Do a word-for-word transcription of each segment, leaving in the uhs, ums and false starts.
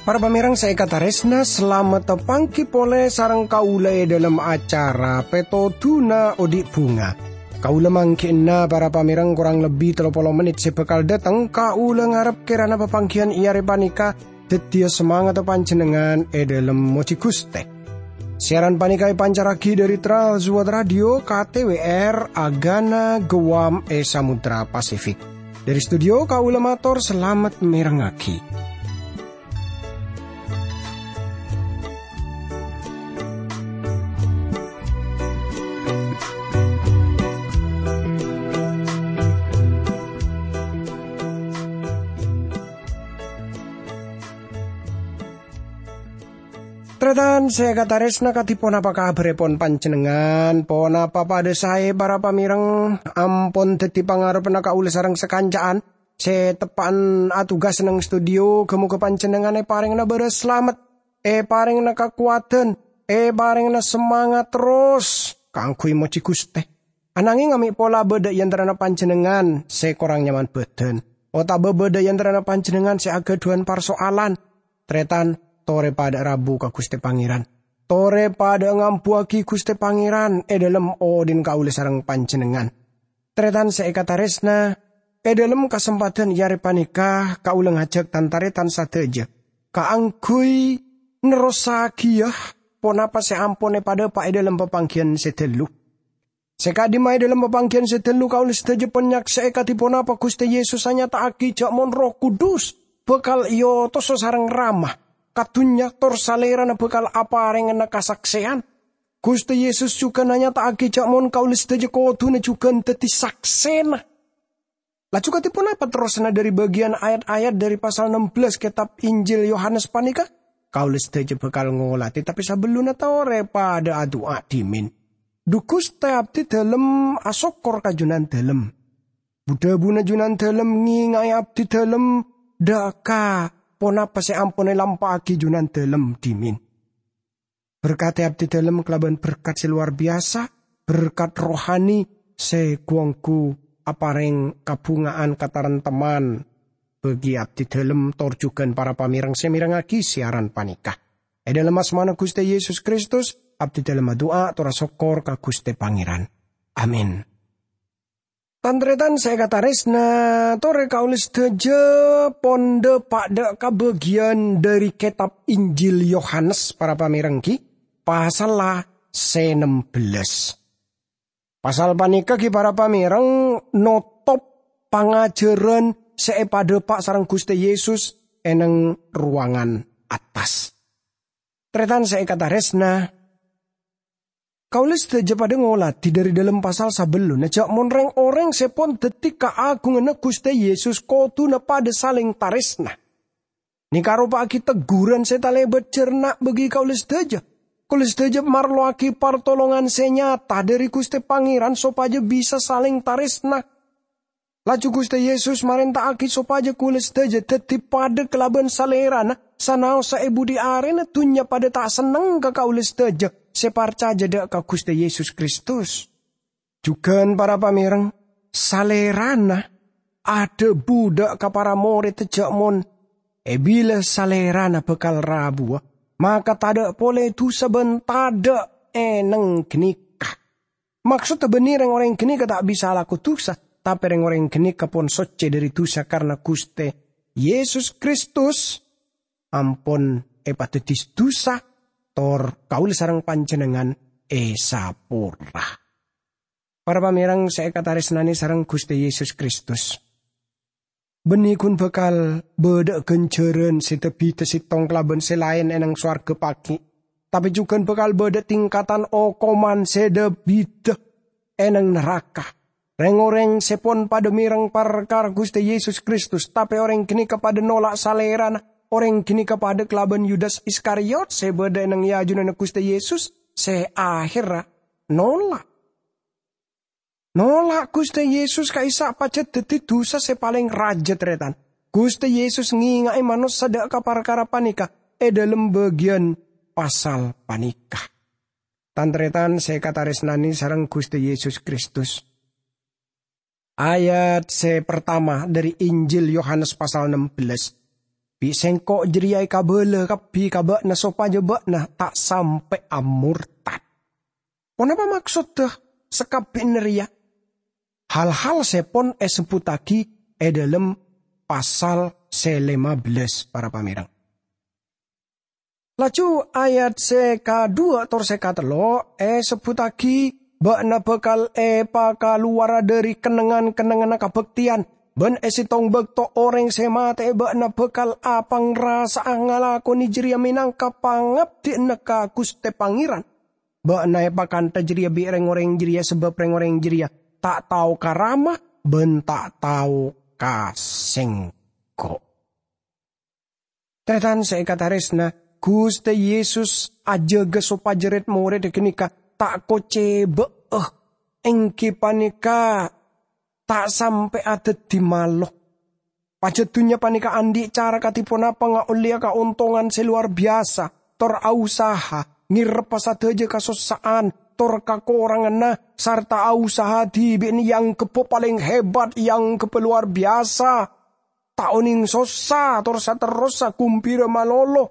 Para pamèrèng sè èkatarèsna, salamet pangghi polè sareng kaulâ è dhâlem acara Pètodhuna Odi' Bhunga. Kaulâ mangghi'na para pamèrèng korang lebbi tello polo mennit sè bhâkal dhâteng. Kaulâ ngarep kèrana papangghiyân è arè panèka dhâddhiyâ samangatta panjhennengngan è dhâlem mojhi Ghustè. Siaran panèka èpancarraghi dhâri Trans World Radio K T W R Agana Guam è Samudra Pasifik. Dhâri studio kaulâ mator salamet mèrengngaghi. Tarètan sè èkatarèsna, kadhi ponapa kabhârèpon panjhennengngan? Ponapa padhâ saè, para pamèrèng? Ampon dhâddhi pangarebbhâ kaulâ sareng sakanca'an sè teppa'an atugas neng studio. Ghâ-mogâ panjhennengngan èparèngana bârâs salamet, èparèngana kakowadhân, èparèngana samangat terros kaangghuy mojhi Ghustè. Anangèng amè' pola bâdâ è antarana panjhennengngan sè korang nyaman bhâdhân, otabâ bâdâ è antarana panjhennengngan sè aghâdhuwân parso'alan. Tarètan, torè padhâ rabu ka Ghustè Pangèran. Torè padhâ ngambuwâghi Ghustè Pangèran è dhâlem odhi'na kaulâ sareng panjhennengngan. Tarètan sè èkatarèsna, è dhâlem kasempadhân è arè panèka kaulâ ngajhâk tan-tarètan sadhâjâ kaangghuy nerrossaghiyâ ponapa sè ampon èpadhâpa' è dhâlem papangghiyân sè ghâllu. Sè ka'dimma è dhâlem papangghiyân sè ghâllu kaulâ sadhâjâ pon nyaksè'è kadhi ponapa Ghustè Yesus anyata'aghi jhâ' mon Erroh Kudus bhâkal èotosa sareng Rama ka dhunnya tor Salèrana bhâkal aparèngana kasaksèyan. Ghustè Yesus jhughân anyata'aghi jhâ' mon kaulâ sadhâjâ kodhuna jhughân dhâddhi saksèna. Laju kadhi ponapa terrosanna dhâri bâgiyân ayat-ayat dhâri pasal nem bellâs kètab Injil Yohanes panèka? Kaulâ sadhâjâ bhâkal ngolatè, tapè sabellunna torè padhâ adu'a dhimèn. Dhu Ghustè, abdidhâlem asokkor ka Jhunandhâlem. Bu-dhâbuna Jhunandhâlem ngènga'è abdidhâlem dhâ' ka ponapa sè ampon èlampa'aghi Jhunandhâlem dhimèn. Berkadhi abdidhâlem kalabân berkat sè lowar biyasa, berkat rohani sè ghu-ongghu aparèng kabhunga'an kataremtemman bagi abdidhâlem tor jhughân para pamèrèng sè mèrengngaghi siaran panèka. È dhâlem asmana Ghustè Yesus Kristus, abdidhâlem adu'a tor asokkor ka Ghustè Pangèran. Amin. Tan-tarètan sè èkatarèsna, torè kaulâ sadhâjâ pon dhâpa' dhâ' ka bâgiyân dhâri kètab Injil Yohanes, para pamèrèng, ghi, pasalla sè nem bellâs. Pasal panèka, ghi, para pamèrèng, notop pangajhârân sè èpadhâpa' sareng Ghustè Yesus è neng rowangan attas. Tarètan sè èkatarèsna, kaulâ sadhâjâ padhâ ngolatè dhâri dhâlem pasal sabellunna jhâ' mon rèng-orèng sè pon dhâddhi kaagunganna Ghustè Yesus kodhuna padhâ salèng tarèsna. Nèka aropa'aghi tegghuran sè talèbât jhârna bagi kaulâ sadhâjâ. Kaulâ sadhâjâ marlowaghi partolongan sè nyata dhâri Ghustè Pangèran sopajâ bisa salèng tarèsna. Laju Ghustè Yesus marènta'aghi sopajâ kaulâ sadhâjâ dhâddhi padhâ kalabân Salèrana, sanaossa è budhi arèna dhunnya padhâ ta' senneng ka kaulâ sadhâjâ sè parcajâ dhâ' ka Ghustè Yesus Kristus. Jhughân para pamèrèng, Salèrana adhâbu dhâ' ka para morèdda jhâ' mon è bilâ Salèrana bhâkal rabuwâ, maka tadhâ' polè dhusa bân tadhâ' è neng ghânèka. Maksodda bânnè rèng-orèng ghânèka ta' bisa alako dhusa, tapè rèng-orèng ghânèka pon soccè dhâri dhusa karna Ghustè Yesus Kristus ampon èpadhâddhi dhusa, tor kaulâ sareng panjhennengngan èsapora. Para pamèrèng sè èkatarèsnanè sareng Ghustè Yesus Kristus. Bânnè ghun bhâkal bâdâ'â ghânjhârân sè dâ-bhidhâ sèttong kalabân sè laèn è neng sowarghâ pagghi', tapè jhughân bhâkal bâdâ tingkatan okoman sè dâ-bhidhâ è neng naraka. Rèng-orèng sè pon padhâ mèreng parkara Ghustè Yesus Kristus, tapè orèng ghânèka padhâ nola' Salèrana. Orèng ghânèka padhâ kalabân Yudas Iskariot sè bâdâ è neng è ajunanna Ghustè Yesus, sè ahèrra nola'. Nola' Ghustè Yesus ka'issa' pajhât dhâddhi dhusa sè palèng rajâ, tarètan. Ghustè Yesus ngènga'è manossa dhâ' ka parkara panèka è dhâlem bâgiyân pasal panèka. Tan-tarètan sè èkatarèsnanè sareng Ghustè Yesus Kristus. Ayat sè partama dhâri Injil Yohanes pasal nem bellâs. "Bi' Sèngko' jârèya èkabâlâ kabbhi ka bâ'na sopajâ bâ'na ta' sampè' amortad." Ponapa maksodda sakabbhiyânna rèya? Hal-hal sè pon èsebbhuttaghi è dhâlem pasal sè lèma bellâs, para pamèreng. Laju ayat sè kadhuwâ' tor sè katello' èsebbhuttaghi, "Bâ'na bhâkal èpakalowara dhâri kennengngan-kennengnganna kabhâktèyan, bân è sèttong bâkto orèng sè matè'è bâ'na bhâkal apangrasa'a ngalakonè jârèya mènangka pangabdiyânna ka Ghustè Pangèran. Bâ'na èpakantha jârèya bi' rèng-orèng jârèya, sabâb rèng-orèng jârèya ta' tao ka Rama bân ta' tao ka Sèngko'." Tarètan sè èkatarèsna, Ghustè Yesus ajâgâ sopajâ rèd-morèdda ghânèka ta' kocèbâ'â, èngghi panèka ta' sampè' adhâddhi malo. Pajhât dhunnya panèka andi' cara kadhi ponapa ngaollèya kaontongan sè lowar biyasa, tor ausaha ngèreppa sadhâjâ kasossa'an tor kakoranganna, sarta ausaha dhibi'na èanggheppa palèng hebat, èanggheppa lowar biyasa. Ta' onèng sossa tor saterrossa ghumbhira malolo.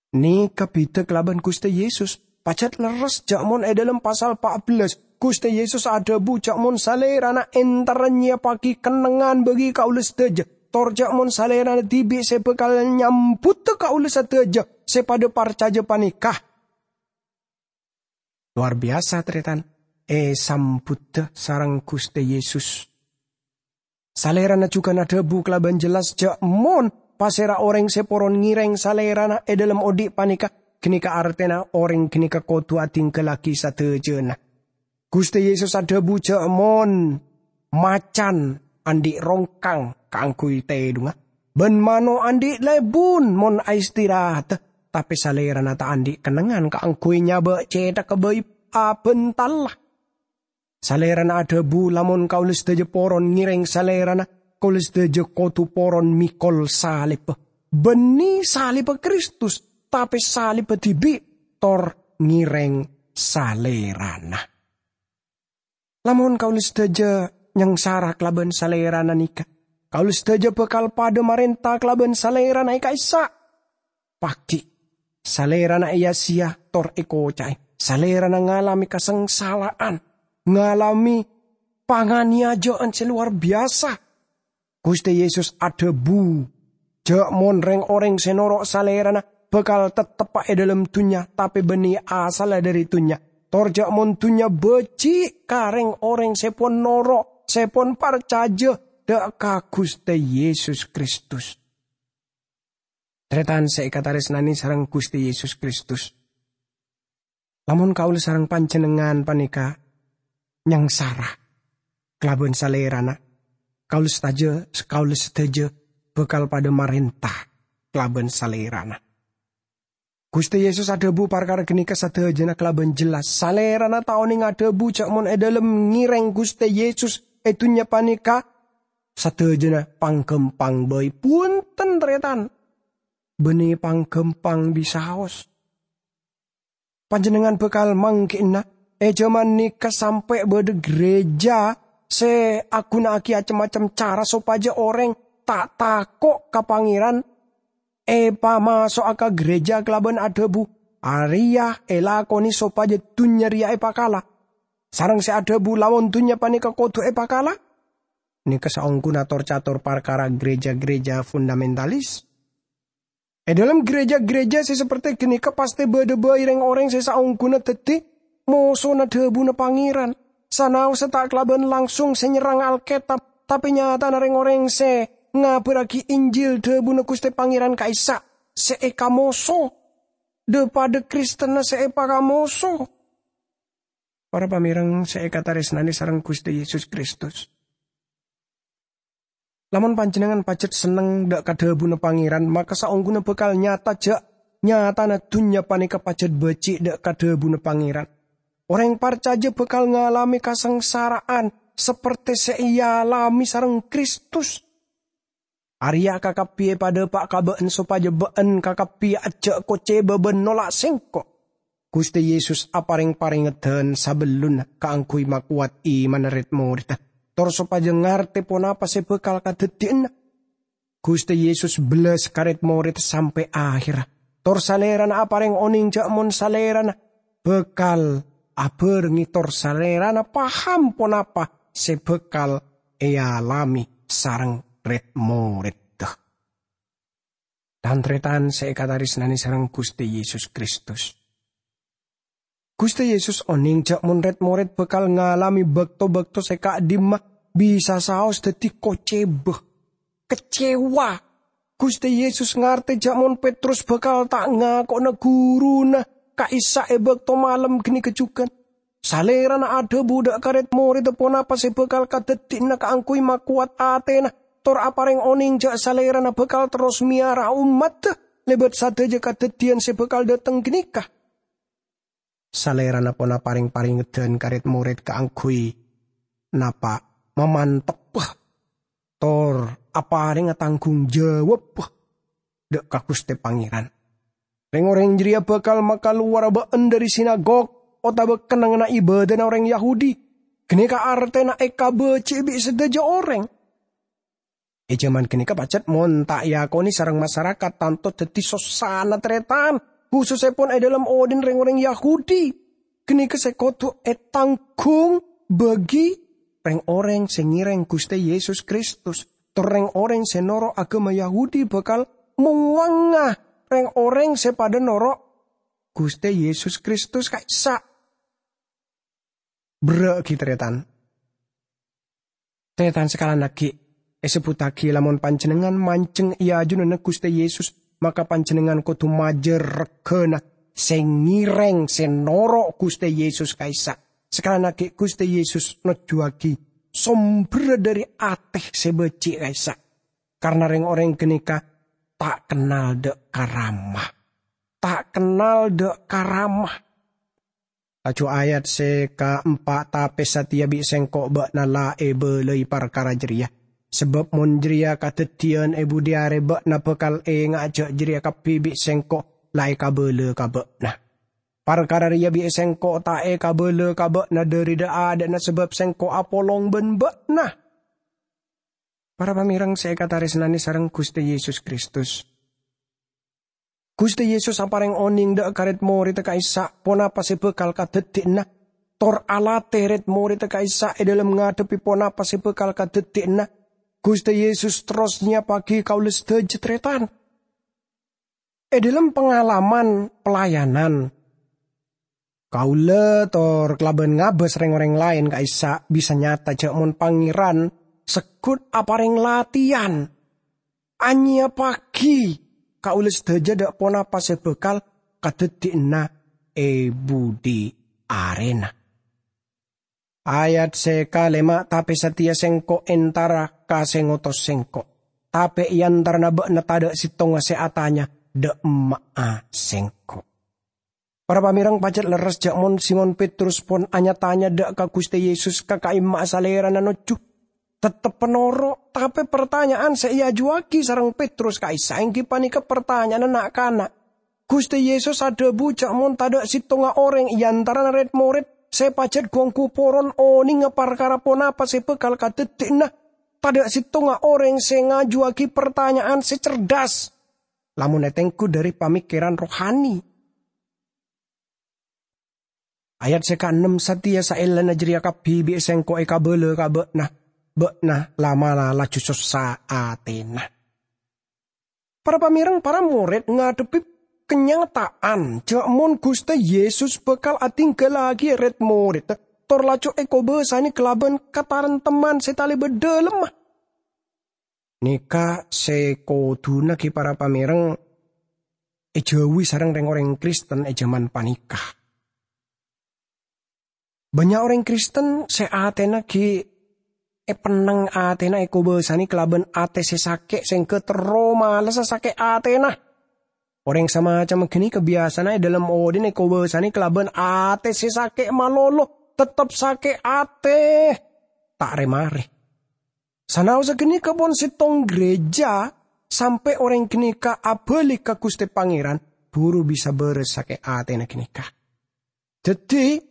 Nèka bhidhâ kalabân Ghustè Yesus. Pajhât lerres jâ' mon è dhâlem pasal pa' bellâs, Ghustè Yesus adhâbu jâ' mon Salèrana èntarra nyèyappaghi kennengngan bagi kaulâ sadhâjâ, tor jâ' mon Salèrana dhibi' sè bhâkal nyambhudhâ kaulâ sadhâjâ sè padhâ parcajâ panèka. Lowar biyasa, tarètan, èsambhudhâ sareng Ghustè Yesus. Salèrana jhughân adhâbu kalabân jelas jâ' mon pasèra orèng sè poron ngèrèng Salèrana è dhâlem odi' panèka, ghânèka artèna orèng ghânèka kodhu adhinggallaghi sadhâjâna. Ghustè Yesus adhâbu jâ' mon macan andi' rongkang kaangghuy tèdhungnga, bân mano' andi' lèbun mon aistirahatta, tapè Salèrana ta' andi' kennengngan kaangghuy nyabâ' cèthagghâ bhâi abhântalla. Salèrana adhâbu, "Lamon kaulâ sadhâjâ poron ngèrèng Salèrana, kaulâ sadhâjâ kodhu poron mèkol salebbhâ." Bânnè salebbhâ Kristus, tapè salebbhâ dhibi' tor ngèrèng Salèrana. Lamon kaulâ sadhâjâ nyangsara kalabân Salèrana nèka, kaulâ sadhâjâ bhâkal padhâ marènta kalabân Salèrana è ka'issa'. Paghi', Salèrana èya-sèya tor èkoca'è. Salèrana ngalamè kasangsalaan, ngalamè panganèyajâ'ân sè lowar biyasa. Ghustè Yesus adhâbu, jâ' mon rèng-orèng sè noro' Salèrana bhâkal tetteppa è dhâlem dhunnya, tapè bânnè asalla dhâri dhunnya, tor jâ' mon dhunnya bâji' ka rèng-orèng sè pon noro', sè pon parcajâ dhâ' ka Ghustè Yesus Kristus. Tarètan sè èkatarèsnanè sareng Ghustè Yesus Kristus. Lamon kaulâ sareng panjhennengngan panèka nyangsara kalabân Salèrana, kaulâ sadhâjâ, kaulâ sadhâjâ bhâkal padhâ marènta kalabân Salèrana. Ghustè Yesus adhâbu parkara ghânèka sadhâjâna kalabân jelas. Salèrana ta' onèng adhâbu jâ' mon è dhâlem ngèrèng Ghustè Yesus è dhunnya panèka, sadhâjâna pangghâmpang bhâi. Bhunten, tarètan. Bânnè pangghâmpang bisaos. Panjhennengngan bhâkal mangghi'na, è jhâman nèka sampè' bâdâ ghârèjâ sè aghunaaghi cem-macem cara sopajâ orèng ta' tako' ka Pangèran, èpamaso'a ka ghârèjâ kalabân adhâbu, "Arèya èlakonè sopajâ dhunnya rèya èpakala." Sareng sè adhâbu, "Lamon dhunnya panèka kodhu èpakala," nèka saongghuna tor-cator parkara ghârèjâ-ghârèjâ fundamentalis. È dhâlem ghârèjâ-ghârèjâ sè sapertè ghânèka pastè bâdâ bhâi rèng-orèng sè saongghuna dhâddhi mosona dhâbuna Pangèran. Sanaossa ta' kalabân langsung sè nyerrang Alkètab, tapè nyatana rèng-orèng sè ngabârraghi Injil dhâbuna Ghustè Pangèran ka'issa' sè èkamoso. Dhâ-padhâ Kristenna sè èpakamoso. Para pamèreng sè èkatarèsnanè sareng Ghustè Yesus Kristus. Lamon panjhennengngan pajhât senneng dhâ' ka dhâbuna Pangèran, maka saongghuna bhâkal nyata jâ' nyatana dhunnya panèka pajhât bâji' dhâ' ka dhâbuna Pangèran. Orèng parcajâ bhâkal ngalamè kasangsara'an sapertè sè èalamè sareng Kristus. Arèya kakabbhi èpadhâpa' ka bâ'na sopajâ bâ'na kakabbhi ajjhâ' kocèba bân nolak Sèngko'." Ghustè Yesus aparèng parèngedhân sabellunna kaangghuy makowat imanna rèd-morèdda, tor sopajâ ngartè ponapa sè bhâkal kadhâddhiyânna. Ghustè Yesus bellas ka rèd-morèdda sampè' ahèrra, tor Salèrana aparèng onèng jhâ' mon Salèrana bhâkal abhârengngè tor Salèrana paham ponapa sè bhâkal èalamè sareng rèd-morèdda. Tan-tarètan sè èkatarèsnanè sareng Ghustè Yesus Kristus. Ghustè Yesus onèng jhâ' mon rèd-morèd bhâkal ngalamè bâkto-bâkto sè ka'dimma bisa saos dhâddhi kocèba, kecewa. Ghustè Yesus ngartè jhâ' mon Petrus bhâkal ta' ngako'na ghuruna ka'issa' è bâkto malem ghânèka jhughân. Salèrana adhâbu dâ' ka rèd-morèdda ponapa sè bhâkal kadhâddhiyânna kaangghuy makowat atèna, tor aparèng onèng jhâ' Salèrana bhâkal terros mèyara ommaddhâ lèbât sadhâjâ kadhâddhiyân sè bhâkal dhâteng ghânèka. Salèrana pon aparèng parèngedhân ka rèd-morèd kaangghuy napa' mamantebbhâ tor aparèngnga tanggung jawab dâ' ka Ghustè Pangèran. Rèng-orèng jârèya bhâkal makalowara bâ'na dâri sinagog otabâ kennengnganna ibâdâna orèng Yahudi. Ghânèka artèna èkabâji'i bi' sadhâjâ orèng. È jhâman ghânèka pajhât mon ta' èakonè sareng masarakat tanto dhâddhi sossana tarètan, khusussèpon è dhâlem odhi'na rèng-orèng Yahudi. Ghânèka sè kodhu ètangghung bâgi rèng-orèng sè ngèrèng Ghustè Yesus Kristus, tor rèng-orèng sè noro' aghâma Yahudi bhâkal mowangnga rèng-orèng sè padâ noro' Ghustè Yesus Kristus ka'issa'. Berrâ'aghi, tarètan. Tarètan sakalangaghi, èsebbhuttaghi lamon panjhennengngan manjheng è ajunanna Ghustè Yesus, maka panjhennengngan kodhu majâr reghâna sè ngèrèng, sè noro' Ghustè Yesus ka'issa'. Sakalangaghi, Ghustè Yesus nojjhuwâghi somberra dâri atè sè bâji' ka'issa'. Karna rèng-orèng ghânèka ta' kennal dâ' ka Rama. Ta' kennal dâ' ka Rama. Laju ayat sè kaempa', "Tapè satèya bi' Sèngko' bâ'na la èbâlâi parkara jârèya. Sabâb mon jârèya kadhâddhiyân è budi arè, bâ'na bhâkal enga'a jâ' jârèya kabbhi bi' Sèngko' la èkabâlâ ka bâ'na. Parkara rèya bi' Sèngko' ta' èkabâlâ ka bâ'na dâri dha'-adha'na, sabâb Sèngko' apolong bân bâ'na." Para pamèreng sè èkatarèsnanè sareng Ghustè Yesus Kristus. Ghustè Yesus aparèng onèng dâ' ka rèd-morèdda ka'issa' ponapa sè bhâkal kadhâddhiyânna, tor alatè rèd-morèdda ka'issa' è dhâlem ngadhebbhi ponapa sè bhâkal kadhâddhiyânna. Ghustè Yesus terros nyèyappaghi kaulâ sadhâjâ tarètan. È dhâlem pangalaman pelayanan, kaulâ tor kalabân ngabâs rèng-orèng laèn ka'issa' bisa nyata jâ' mon Pangèran segghut aparèng latèyan anyèyappaghi kaulâ sadhâjâ dâ' ponapa sè bhâkal kadhâddhiyânna è budi arèna. Ayat sè kalèma', "Tapè satèya Sèngko' entara ka sè ngotos Sèngko'. Tapè è antarana bâ'na tadâ' sèttonga sè atanya dâ' emma'a Sèngko'." Para pamèreng, pajhât lerres jâ' mon Simon Petrus pon anya-tanya dâ' ka Ghustè Yesus ka ka'imma'a Salèrana nojjhu. Tettep noro', tapè partanya'an sè èajuwâghi sareng Petrus ka'issa' èngghi panèka partanya'anna na'-kana'. Ghustè Yesus adhâbu jâ' mon tadâ' sèttonga orèng è antarana rèd-morèd sè pajhât gu-ongghu poron onènga parkara ponapa sè bhâkal kadhâddhiyânna, tadâ' sèttonga orèng sè ngajuwâghi partanya'an sè cerdas, lamon ètengghu dâri pamèkkèran rohani. Ayat sè kaennem, "Satèya saellana jârèya kabbhi bi' Sèngko' èkabâlâ ka bâ'na, bâ'na la'-mala' laju sossa atèna." Para pamèreng, para morèd ngadhebbhi kanyata'an jâ' mon Ghustè Yesus bhâkal adhingghâllaghi rèd-morèdda, tor laju èkobâsanè kalabân katarantemman sè talèbât dhâlemma. Nèka sè kodhuna ghi para pamèreng èjhâuwi sareng rèng-orèng Kristen è jhâman panèka. Bânnya' orèng Kristen sè atèna ghi' èpennèng, atèna èkobâsanè kalabân atè sè sakè' sèngghâ terro malessa sakè' atèna. Orèng samacemma ghânèka biyasana è dhâlem odhi'na èkobâsanè kalabân atè sè sakè' malolo, tettep sakè' atè, ta' rè-marè. Sanaossa ganèka pon sèttong gereja, sampè' orèng ganèka abâli ka Ghustè Pangèran, buru bisa bârâs sakè' atèna ganèka. Dhâddhi,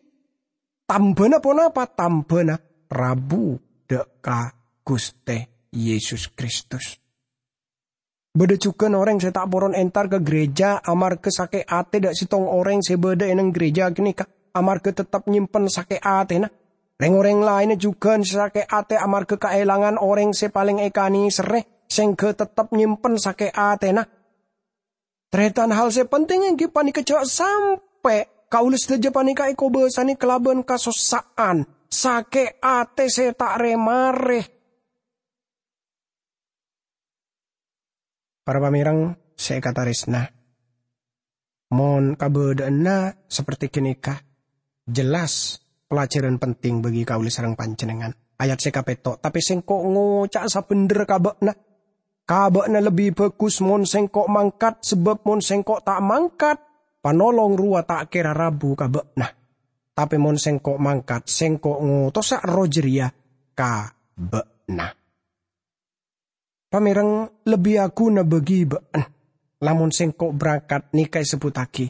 tambâna ponapa? Tambâna rabu dâ' ka Ghustè Yesus Kristus. Bâdâ jhughân orèng sè ta' poron entar ka gereja amarghâ sakè' atè dâ' sèttong orèng sè bâdâ è neng gereja ganèka, amarghâ tettep nyèmpen sakè' atèna. Rèng-orèng laènna jhughân sè sakè' atè amarghâ kaèlangan orèng sè palèng èkanèserrè, sèngghâ tettep nyèmpen sakè' atèna. Tarètan, hal sè penting èngghi panèka jhâ' sampè' kaulâ sadhâjâ panèka èkobâsanè kalabân kasossa'an, sakè' atè sè ta' rè-marè. Para pamèreng sè èkatarèsna, mon kabâdâ'ânna saperti ganèka, jelas pelajaran penting bagi kaulâ sareng panjhennengngan. Ayat sè kapètto', "Tapè sèngko' ngoca'a sabhendherra ka bâ'na, ka bâ'na lebbi bhâghus mon sèngko' mangkat, sabâb mon sèngko' ta' mangkat, Panolong rowa ta' kèra rabu ka bâ'na. Tapè mon sèngko' mangkat, sèngko' ngotosa Erroh jârèya ka bâ'na." Pamèreng, lebbi aghuna bagi bâ'na lamon sèngko' berangkat nèka èsebbhuttaghi.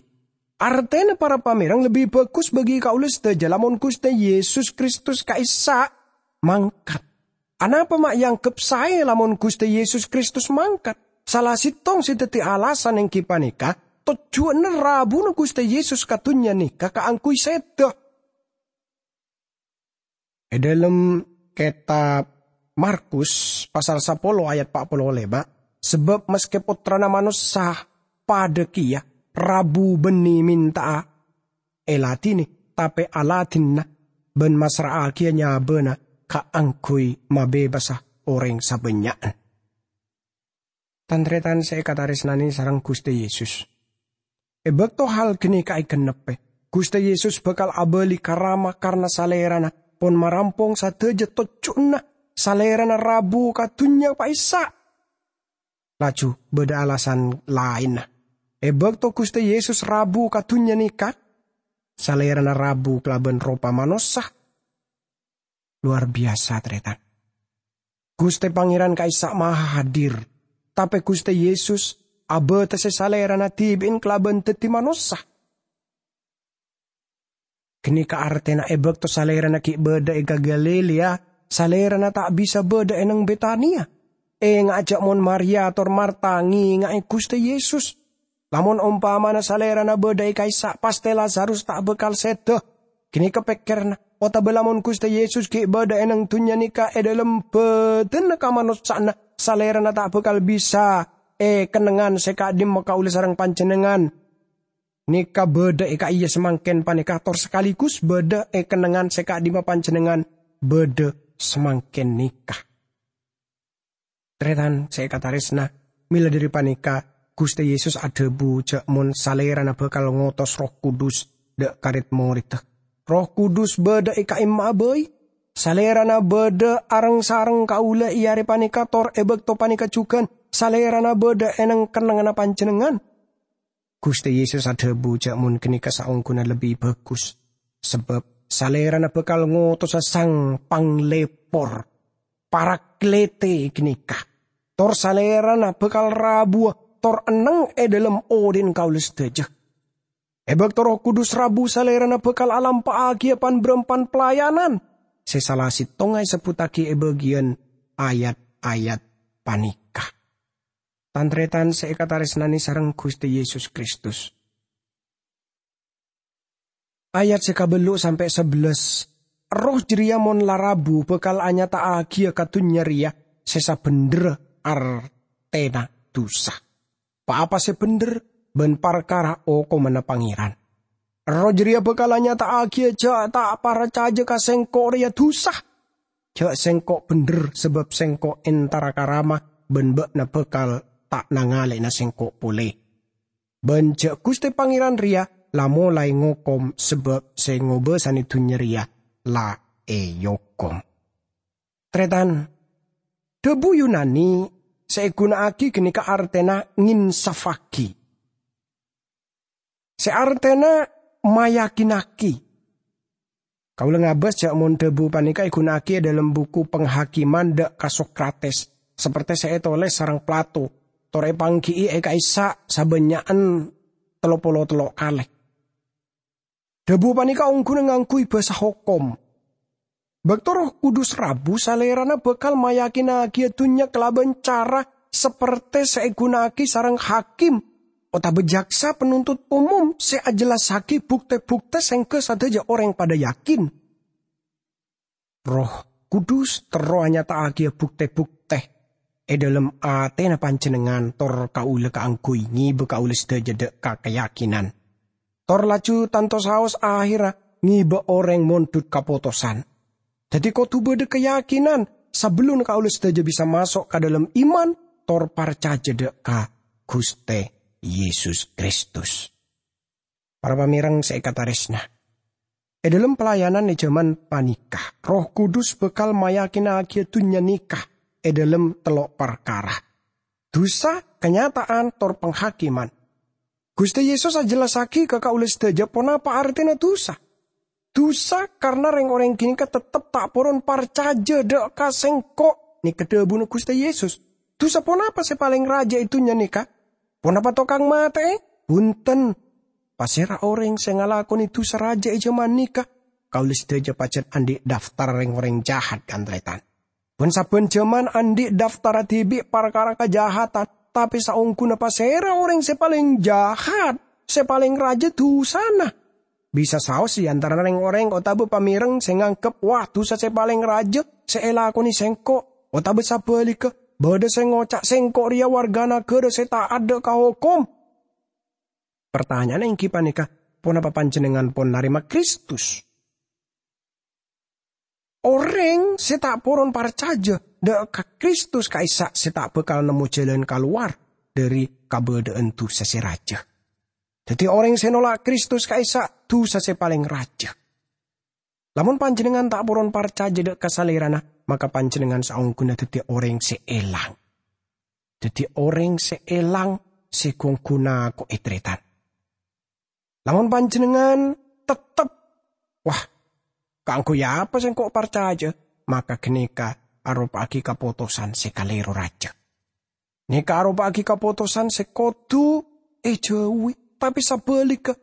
Artèna, para pamèreng, lebbi bhâghus bagi kaulâ sadhâjâ lamon Ghustè Yesus Kristus ka'issa' mangkat. Anapa ma' èangghep saè lamon Ghustè Yesus Kristus mangkat? Sala sèttong sè dhâddhi alasan èngghi panèka tojjhuwânna rabuna Ghustè Yesus ka dhunnya nèka kaangghuy sèdhâ. È dhâlem kètab Markus pasal sapolo ayat pa' polo lèma', "Sabâb maskè Pottrana Manossa padâ kèya rabu bânnè mènta'a èladhinè, tapè aladhinna bân massra'aghiyâ nyabâna kaangghuy mabebasa orèng sabânnya'na." Tan-tarètan sè èkatarèsnanè sareng Ghustè Yesus, è bâkto hal ghânèka ègennebbhi, Ghustè Yesus bhâkal abâli ka Rama karna Salèrana pon marampong sadhâjâ tojjhuwânna Salèrana rabu ka dhunnya ka'issa'. Laju bâdâ alasan laènna. È bâkto Ghustè Yesus rabu ka dhunnya nèka, Salèrana rabu kalabân ropa manossa. Lowar biyasa, tarètan. Ghustè Pangèran ka'issa' mahadir, tapè Ghustè Yesus abâtessè Salèrana dhibi'en kalabân dhâddhi manossa. Ghânèka artèna è bâkto Salèrana ghi' bâdâ è Galilea, Salèrana ta' bisa bâdâ è neng Betania. Enga'a jâ' mon Maria tor Marta ngènga'è Ghustè Yesus. Lamon ompamana Salèrana bâdâ è ka'issa', pastè Lazarus ta' bhâkal sèdhâ. Ghânèka pèkkèrra, otabâ lamon Ghustè Yesus ghi' bâdâ è neng dhunnya nèka è dhâlem bâdânna kamanossa'anna, Salèrana ta' bhâkal bisa è kennengngan sè ka'dimma kaulâ sareng panjhennengngan nèka bâdâ è ka'iyâ samangkèn panèka, tor sakaligus bâdâ è kennengngan sè ka'dimma panjhennengngan bâdâ samangkèn nèka. Tarètan sè èkatarèsna, mèla dhâri panèka, Ghustè Yesus adhâbu jâ' mon Salèrana bhâkal ngotos Erroh Kudus dâ' ka rèd-morèdda. Erroh Kudus bâdâ è ka'imma'a bhâi. Salèrana bâdâ areng-sareng kaulâ è arè panèka, tor è bâkto panèka jhughân Salèrana bâdâ è neng kennengnganna panjhennengngan. Ghustè Yesus adhâbu jâ' mon ghânèka saongghuna lebbi bhâghus, sabâb Salèrana bhâkal ngotosa Sang Panglèpor, Paraklètè ghânèka, tor Salèrana bhâkal rabuwâ tor enneng è dhâlem odhi'na kaulâ sadhâjâ. È bâkto Erroh Kudus rabu, Salèrana bhâkal alampa'aghiyâ pan-bârâmpan pelayanan sè sala sèttongnga èsebbhuttaghi è bâgiyân ayat-ayat panèka. Tan-tarètan sè èkatarèsnanè sareng Ghustè Yesus Kristus. Ayat sè kabellu' sampè' sabellâs, Erroh jârèya mon la rabu bhâkal anyata'aghiyâ ka dhunnya rèya sè sabhendherra artèna dhusa. Pa-apa sè bhendher bân parkara okomanna Pangèran. Erroh jârèya bhâkal anyata'aghiyâ jâ' ta' parcajâ ka Sèngko' rèya dhusa. Jâ' Sèngko' bhendher, sabâb Sèngko' entara ka Rama, bân bâ'na bhâkal ta' nangalè'ana Sèngko' polè. Bân jâ' Ghustè Pangèran rèya la molaè ngokom, sabâb sè ngobâsanè dhunnya rèya la èokom. Tarètan, dhâbu Yunani sè èghuna'aghi ghânèka artèna ngènsaffaghi, sè artèna mayakinaghi. Kaulâ ngabâs jhâ' mon dhâbu panèka èghuna'aghi è dhâlem buku Penghakiman dhâ' ka Sokrates, saperte sè ètolès sareng Plato, tor èpangghi'i è ka'issa' sabânnya'an tello polo tello' kalè. Dhâbu panèka ongghuna ngangghuy bhâsa hokom. Bâkto Erroh Kudus rabu, Salèrana bhâkal mayakinnaghiyâ dhunnya kalabân cara saperte sè èghuna'aghi sareng hakim otabâ jaksa penuntut umum sè ajellassaghi bukte-bukte sèngghâ sadhâjâ orèng padâ yakin. Erroh Kudus terro anyata'aghiyâ bukte-bukte è dhâlem atèna panjhennengngan tor kaulâ kaangghuy ngèbâ kaulâ sadhâjâ dhâ' ka kayakinan. Tor laju tanto saos ahèrra ngèbâ orèng mondhut kapotosan. Dhâddhi kodhu bâdâ kayakinan sabellunna kaulâ sadhâjâ bisa maso' ka dhâlem iman tor parcajâ dhâ' ka Ghustè Yesus Kristus. Para pamèreng sè èkatarèsna, è dhâlem pelayanan è jhâman panèka, Erroh Kudus bhâkal mayakinnaghiyâ dhunnya nèka è dhâlem tello' parkara: dusa, kanyata'an, tor penghakiman. Ghustè Yesus ajellassaghi ka kaulâ sadhâjâ ponapa artèna dusa. Dusa karna rèng-orèng ghânèka teptep ta' poron parcajâ dhâ' ka Sèngko', nèka dhâbuna Ghustè Yesus. Dusa ponapa sè palèng rajâ è dhunnya nèka? Ponapa tokang matè'è? Bhunten. Pasèra orèng sè ngalakonè dusa rajâ è jhâman nèka? Kaulâ sadhâjâ pajhât andi' daftar rèng-orèng jahat, kan-tarètan. Bân sabbhân jhâman andi' daftarra dhibi' parkara kajahatan, tapè saongghuna pasèra orèng sè palèng jahat, sè palèng rajâ dusana? Bisa saos è antarana rèng-orèng otabâ pamèreng sè nganggep, "Wah, dusa sè palèng rajâ sè èlakonè sèngko'," otabâ sabhâligghâ, bâdâ sè ngoca', "Sèngko' rèya warga naghârâ sè ta'at dhâ' ka hokom." Partanya'anna èngghi panèka, ponapa panjhennengngan pon narèma Kristus? Orèng sè ta' poron parcajâ dhâ' ka Kristus ka'issa' sè ta' bhâkal nemmo jhâlân kalowar dhâri kabâdâ'ân dusa sè rajâ. Dhâddhi, orèng sè nola' Kristus ka'issa' dusa sè palèng rajâ. Lamon panjhennengngan ta' poron parcajâ dhâ' ka Salèrana, maka panjhennengngan saongghuna dhâddhi orèng sè èlang. Dhâddhi orèng sè èlang sè ghun-ghuna ko' ètarètan. Lamon panjhennengngan teptep, "Wah, kaangghuy apa sèngko' parcajâ?" maka ghânèka aropa'aghi kapotosan sè kalèro rajâ. Nèka aropa'aghi kapotosan sè kodhu èjhâuwi, tapè sabhâligghâ,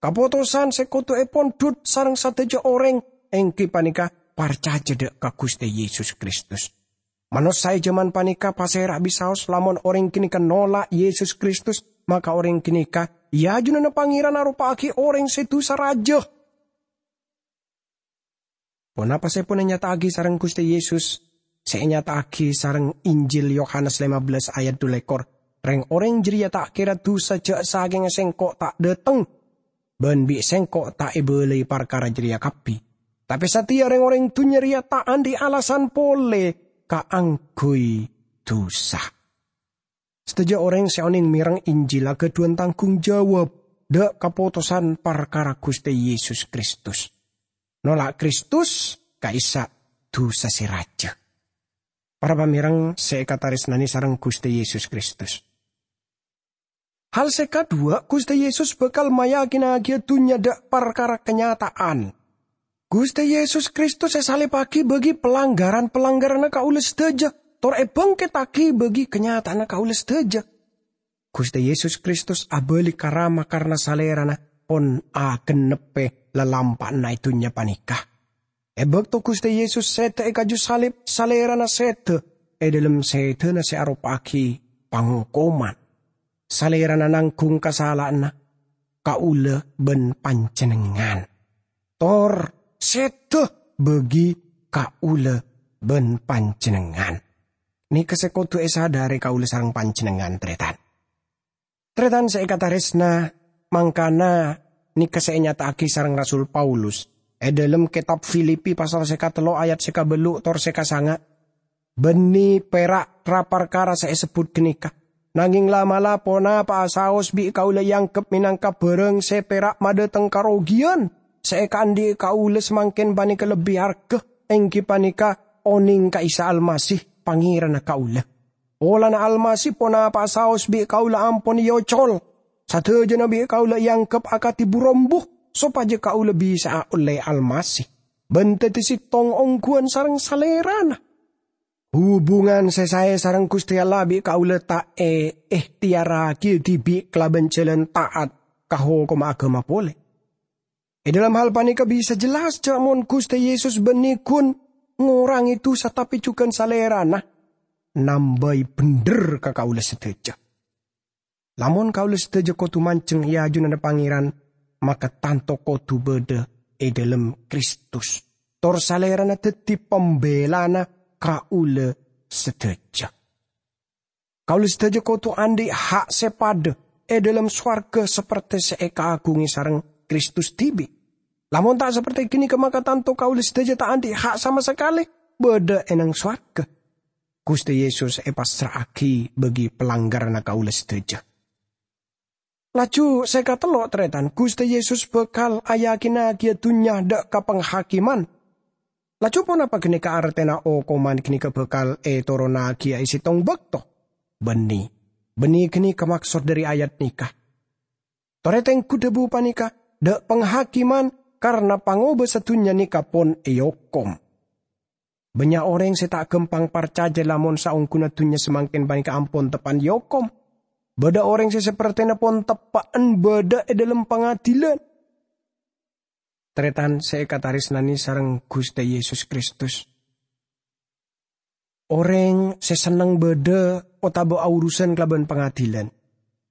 kapotosan sè kodhu èpondhut sareng sadhâjâ orèng èngghi panèka parcajâ dhâ' ka Ghustè Yesus Kristus. Manossa è jhâman panèka pasèra bisaos lamon orèng ghânèka nola' Yesus Kristus, maka orèng ghânèka è ajunanna Pangèran aropa'aghi orèng sè dusa rajâ. Ponapa sè pon ènyata'aghi sareng Ghustè Yesus? Sè ènyata'aghi sareng Injil Yohanes lèma bellâs ayat dhu lèkor, "Rèng-orèng jârèya ta' kèra dusa jhâ' sakènga Sèngko' ta' dhâteng, bân bi' Sèngko' ta' èbâlâi parkara jârèya kabbhi. Tapè satèya rèng-orèng dhunnya rèya ta' andi' alasan polè kaangghuy dusa." Sadhâjâ orèng sè onèng mèreng Injil aghâdhuwân tangghung jawab dhâ' kapotosan parkara Ghustè Yesus Kristus. Nola' Kristus ka'issa' dusa sè rajâ. Para pamèreng sè èkatarèsnanè sareng Ghustè Yesus Kristus. Hal sè kadhuwâ, Ghustè Yesus bhâkal mayakinnaghiyâ dhunnya dhâ' parkara kanyata'an. Ghustè Yesus Kristus èsalibbhâghi bâgi palangghârân-palangghârânna kaulâ sadhâjâ, tor èbângkèttaghi bâgi kanyata'anna kaulâ sadhâjâ. Ghustè Yesus Kristus abâli ka Rama karna Salèrana pon agennebbhi lalampa'anna è dhunnya panèka. È bâkto Ghustè Yesus sèdhâ è kaju salib, Salèrana sèdhâ è dhâlem sèdhâna sè aropa'aghi pangokoman. Salèrana nangghung kasala'anna kaulâ bân panjhennengngan, tor sèdhâ bâgi kaulâ bân panjhennengngan. Nèka sè kodhu èsadhâri kaulâ sareng panjhennengngan, tarètan. Tarètan sè èkatarèsna, mangkana nèka sè ènyata'aghi sareng Rasul Paulus è dhâlem kètab Filipi pasal sè katello' ayat sè kabâllu' tor sè kasanga', "Bânnè pèra' ra-parkara sè èsebbhut ghânèka, nangèng la'-mala' ponapa'a saos bi' kaulâ èangghep mènangka bhârâng sè pèra' madhâteng karogiyan. Sè èkaandhi'i kaulâ samangkèn panèka lebbi arghâ, èngghi panèka onèng ka Isa Almasih, Pangèranna kaulâ. Polana Almasih ponapa'a saos bi' kaulâ ampon èocol. Sadhâjâna bi' kaulâ èangghep akadhi bu-rombu, sopajâ kaulâ bisa'a ollè Almasih." bân dhâddhi sèttong ongghuwân sareng Salèrana. Hubungan sè saè sareng Ghustè Allah bi' kaulâ ta' èehtèyarraghi dhibi' kalabân jhâlân ta'at ka hokomma aghâma polè. È dhâlem hal panèka bisa jelas jhâ' mon Ghustè Yesus bânnè ghun ngorangè dhusa tapè jhughân Salèrana nambâi bhendher ka kaulâ sadhâjâ. Lamon kaulâ sadhâjâ kodhu manjheng è ajunanna Pangèran, maka tanto kodhu bâdâ è dhâlem Kristus, tor Salèrana dhâddhi pambelana kaulâ sadhâjâ. Kaulâ sadhâjâ kodhu andi' ha' sè padâ è dhâlem sowarghâ sapertè sè èkaaghungè sareng Kristus dhibi'. Lamon ta' sapertè ghânèka, maka tanto kaulâ sadhâjâ ta' andi' ha' sama sakalè bâdâ è nang sowarghâ. Ghustè Yesus èpassra'aghi bâgi palanggaranna kaulâ sadhâjâ. Laju sè katello', tarètan, Ghustè Yesus bhâkal ayakinnaghiyâ dhunnya dâ' ka panghakiman. Laju ponapa ghânèka artèna okoman ghânèka bhâkal ètoronnaghiyâ è sèttong bâkto? Bânnè, bânnè ghânèka maksod dhâri ayat nèka. Torè tengghu dhâbu panèka, dâ' panghakiman, karna pangobâsa dhunnya nèka pon èokom. Bânnya' orèng sè ta' ghâmpang parcajâ lamon saongghuna dhunnya samangkèn panèka ampon teppa'an èokom. Bâdâ orèng sè sapertèna pon teppa'an bâdâ è dhâlem pangadilan. Tarètan sè èkatarèsnanè sareng Ghustè Yesus Kristus. Orèng sè senneng bâdâ otabâ aurusan kalabân pangadilan.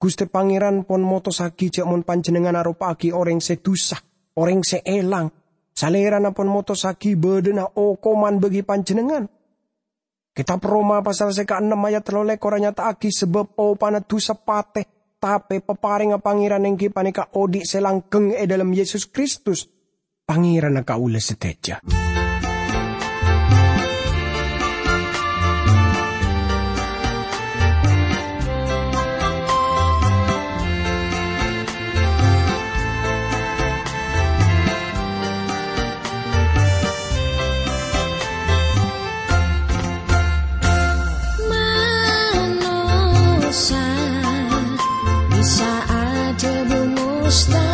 Ghustè Pangèran pon motossaghi jhâ' mon panjhennengngan aropa'aghi orèng sè dhusa, orèng sè èlang, Salèrana pon motossaghi bâdâna okoman bâgi panjhennengngan. Kètab Roma pasal sè kaennem ayat tello lèkor anyata'aghi sabâb opana dhusa patè, tapè paparèngnga Pangèran èngghi panèka odi' sè langghâng è dhâlem Yesus Kristus, Pangèranna kaulâ sadhâjâ. Manossa bisa adhâbu mustahil.